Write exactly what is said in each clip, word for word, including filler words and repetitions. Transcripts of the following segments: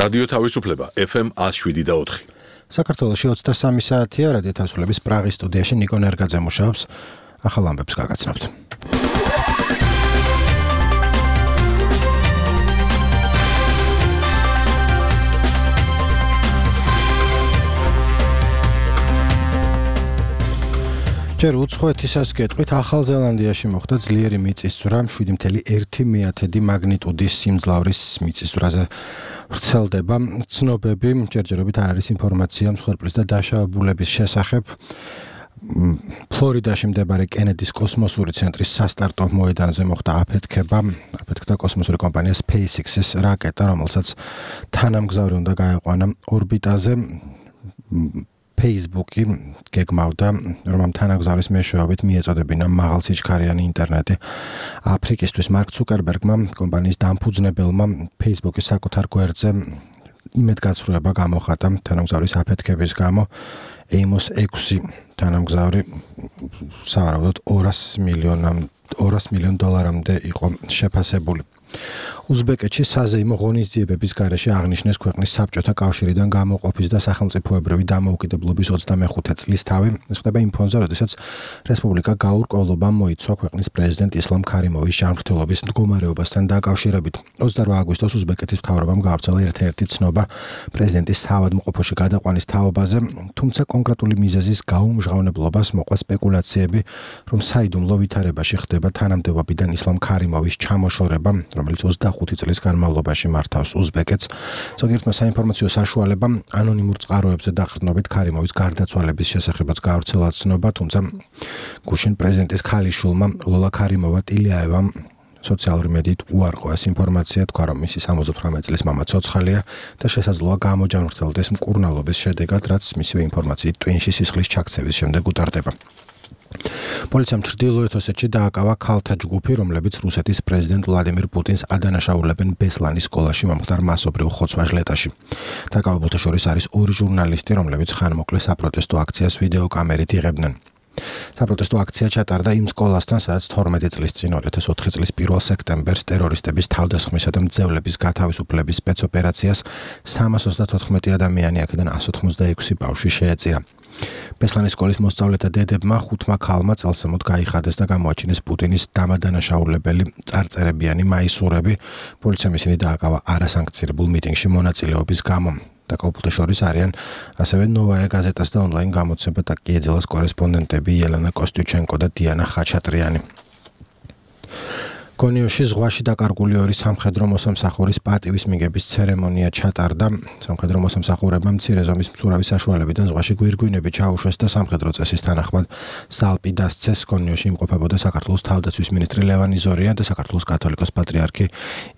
რადიო თავისუფლება ეფ ემ one oh seven და four. საქართველოში ოცდასამი საათია, რადიო თავისუფლების პრაღის სტუდიაში ნიკო ნერგაძე მუშაობს. ახალ ამბებს გაგაცნობთ. ჯერ უცხოეთისას გეტყვით, ახალ ზელანდიაში მოხდა ძლიერი მიწისძვრა, seven point one მაგნიტუდის სიმძლავრის მიწისძვრაზე ვრცელდება. ცნობები ჯერჯერობით არ არის ინფორმაცია მსხვერპლის და დაშავებულების შესახებ. ფლორიდაში მდებარე კენედის კოსმოსური ცენტრის სასტარტო მოედანზე მოხდა აფეთქება. აფეთქდა კოსმოსური კომპანია SpaceX-ის რაკეტა, რომელსაც თანამგზავრი უნდა გაეყვანა ორბიტაზე. Facebook-ი გეგმავდა, რომ ამ თანამგზავრის მეშვეობით მიეწოდებინა მაღალსიჩქარიანი ინტერნეტი. აფრიკისთვის მარკ ცუკერბერგმა, კომპანიის დამფუძნებელმა, Facebook-ის საკუთარ გვერდზე იმედგაცრუება გამოხატა თანამგზავრის აფეთქების გამო. Amos six თანამგზავრი სავარაუდოდ two მილიონ დოლარამდე იყო შეფასებული. უზბეკეთში საზეიმო ღონისძიებების გარეშე აღნიშნეს ქვეყნის საბჭოთა კავშირიდან გამოყოფის და სახელმწიფოებრივი დამოუკიდებლობის ოცდამეხუთე წლის თავი. ეს ხდება იმ ფონზე, როდესაც რესპუბლიკა გაურკვევლობამ მოიცვა ქვეყნის პრეზიდენტ ისლამ ქარიმოვის ჯანმრთელობის მდგომარეობასთან დაკავშირებით. ოცდაოთხ აგვისტოს უზბეკეთის მთავრობამ გავრცელა ერთ-ერთი ცნობა პრეზიდენტის საავადმყოფოში გადაყვანის თაობაზე, თუმცა კონკრეტული მიზეზის გაუმჟღავნებლობას მოყვა სპეკულაციები, რომ საიდუმლო ვითარებაში ხდება თანამდებობიდან ისლამ ქარიმოვის ჩამოშორება, რომელიც ოცდახუთი წლის განმავლობაში მართავს უზბეკეთს. ზოგიერთმა საინფორმაციო საშუალებამ ანონიმურ წყაროებზე დაყრდნობით ქარიმოვის გარდაცვალების შესახებაც გავრცელა ცნობა, თუმცა გუშინ პრეზიდენტის ქალიშვილმა ლოლა ქარიმოვა ტილიაევამ სოციალური მედიით უარყო ეს ინფორმაცია, თქვა, რომ მისი სამოცდაოთხმეტ წლის მამა ცოცხალია და შესაძლოა გამოჯანმრთელდეს მკურნალობის შედეგად, რაც მისივე ინფორმაციით ტვინში სისხლის ჩაქცევის შემდეგ უტარდება. პოლიციამ ჩრდილოეთ ოსეთში დააკავა ქალთა ჯგუფი, რომლებიც რუსეთის პრეზიდენტ ვლადიმირ პუტინს ადანაშაულებენ ბესლანის სკოლაში მომხდარ მასობრივ ხოცვა-ჟლეტაში. დაკავებულთა შორის არის ორი ჟურნალისტი, რომლებიც ხანმოკლე საპროტესტო აქციას ვიდეოკამერით იღებდნენ. საპროტესტო აქცია ჩატარდა იმ სკოლასთან, სადაც თორმეტი წლის წინ two thousand four წლის პირველ სექტემბერს ტერორისტების თავდასხმისა და მძევლების გათავისუფლების სპეცოპერაციას three hundred ninety-four ადამიანი, აქედან one hundred eighty-six ბავშვი შეეწირა. ბესლანის სკოლის მოსწავლეთა დედებმა ხუთმა ქალმა წელსემოთ გაიხადეს და გამოაჩინეს პუტინის დამადანაშაულებელი წარწერებიანი მაისურები. პოლიციამ ისინი დააკავა არასანქცირებულ მიტინგში მონაწილეობის გამო. დაკავებულთა შორის არიან ასევე ნოვაია გაზეტას და ონლაინ გამოცემა ტაკიეძელას კორესპონდენტები ელენა კოსტიუჩენკო და დიანა ხაჩატრიანი. კონიოში ზღვაში დაკარგული ორი სამხედრო მოსამსახურის პატივის მიღების ცერემონია ჩატარდა. სამხედრო მოსამსახურებმა მცირე ზომის მცურავი საშუალებიდან ზღვაში გვირგვინები ჩაუშვეს და სამხედრო წესის თანახმად სალპი დასცეს. კონიოში იმყოფებოდა საქართველოს თავდაცვის მინისტრი ლევან იზორია და საქართველოს კათოლიკოს პატრიარქი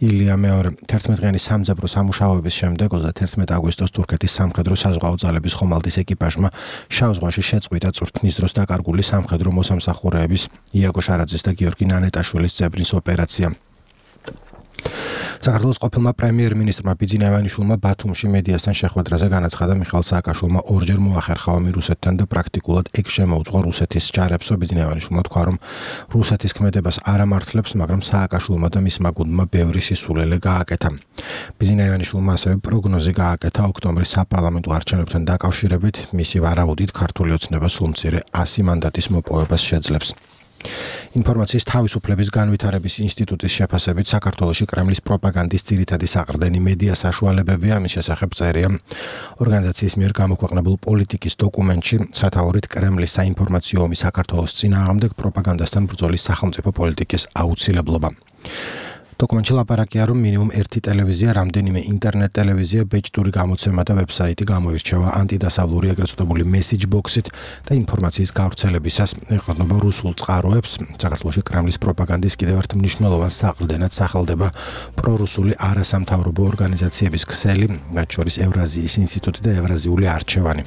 ილია მეორე. თერთმეტ-დღიანი სამძებრო სამუშაოების შემდეგ ოცდაათერთმეტ აგვისტოს თურქეთის სამხედრო საზღვაო ძალების ხომალდის ეკიპაჟმა შავ ზღვაში შეწყვიტა წვრთნის დროს დაკარგული სამხედრო მოსამსახურეების იაგო შარაძის და გიორგი ნანეტაშვილის ძებრის ოპერაცია. საქართველოს ყოფილმა პრემიერ-მინისტრმა ბიძინა ივანიშვილმა ბათუმში მედიასთან შეხვედრაზე განაცხადა, მიხაილ სააკაშვილმა ორჯერ მოახერხა ომი რუსეთთან და პრაქტიკულად ეგ შემოუწყო რუსეთის ჯარებსო. ბიძინა ივანიშვილმა თქვა, რომ რუსეთის ქმედებას არ ამართლებს, მაგრამ სააკაშვილმა და მისმა გუნდმა ბევრი სისულელე გააკეთა. ბიძინა ივანიშვილმა ასევე პროგნოზი გააკეთა ოქტომბრის საპარლამენტო არჩევნებთან დაკავშირებით, მისი ვარაუდით ქართული ოცნება სულ მცირე one hundred მანდატის მოპოვებას შეძლებს. ინფორმაციის თავისუფლების განვითარების ინსტიტუტის შეფასებით საქართველოში კრემლის პროპაგანდის ძირითადი საყრდენი მედია საშუალებებია, ამის შესახებ წერია ორგანიზაციის მიერ გამოქვეყნებულ პოლიტიკის დოკუმენტში, სათაურით კრემლის საინფორმაციო ომი საქართველოს წინააღმდეგ პროპაგანდასთან ბრძოლის სახელმწიფო პოლიტიკის აუცილებლობა. დოკუმენტში ლაპარაკია, რომ მინიმუმ ერთი ტელევიზია, რამდენიმე ინტერნეტ ტელევიზია, ბეჭდური გამოცემა და ვებსაიტი გამოირჩევა ანტიდასავლური ეგრეთ წოდებული message box-ით და ინფორმაციის გავრცელებისას ეყრდნობა რუსულ წყაროებს. საქართველოში კრემლის პროპაგანდის კიდევ ერთ მნიშვნელოვან საყრდენად სახელდება პრორუსული არასამთავრობო ორგანიზაციების ქსელი, მათ შორის ევრაზიის ინსტიტუტი და ევრაზიული არჩევანი.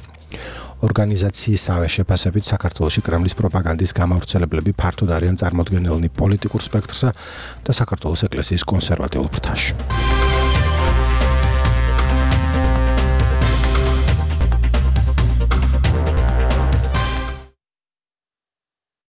ორგანიზაციისავე შეფასებით საქართველოში კრემლის პროპაგანდის გამავრცელებლები ფართოდ არიან წარმოდგენილნი პოლიტიკურ სპექტრსა და საქართველოს ეკლესიის კონსერვატიულ ფრთაში.